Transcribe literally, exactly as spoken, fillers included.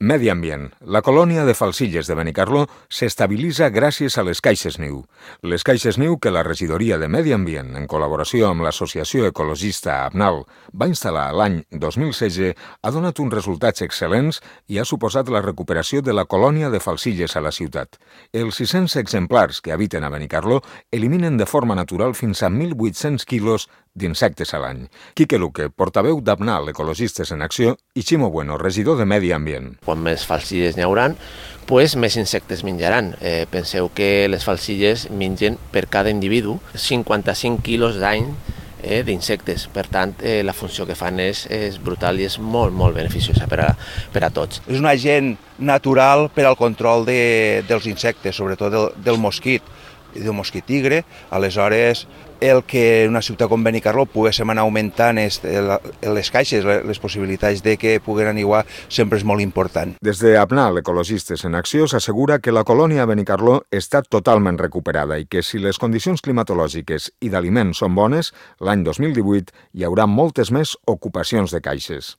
Medi ambient. La colònia de falcilles de Benicarló s'estabilitza gràcies a les caixes niu. Les caixes niu que la regidoria de Medi Ambient, en col·laboració amb l'associació ecologista ABNAL, va instal·lar l'any dos mil setze, ha donat uns resultats excel·lents i ha suposat la recuperació de la colònia de falcilles a la ciutat. Els sis-cents exemplars que habiten a Benicarló eliminen de forma natural fins a mil vuit-cents quilos d'insectes a l'any. Quique Luque, portaveu d'ABNAL, Ecologistes en Acció, i Ximo Bueno, regidor de Medi Ambient. Quan més falcilles n'hi hauran, pues més insectes menjaran. Eh, penseu que les falcilles mengen per cada individu cinquanta-cinc quilos d'any eh, d'insectes. Per tant, eh, la funció que fan és, és brutal i és molt, molt beneficiosa per a, per a tots. És un agent natural per al control de, dels insectes, sobretot del, del mosquit, del mosquit tigre. Aleshores, el que una ciutat com Benicarló poguéssim anar augmentant les caixes, les possibilitats de que puguen aniuar, sempre és molt important. Des de ABNAL, Ecologistes en Acció, s'assegura que la colònia a Benicarló està totalment recuperada i que si les condicions climatològiques i d'aliment són bones, l'any dos mil divuit hi haurà moltes més ocupacions de caixes.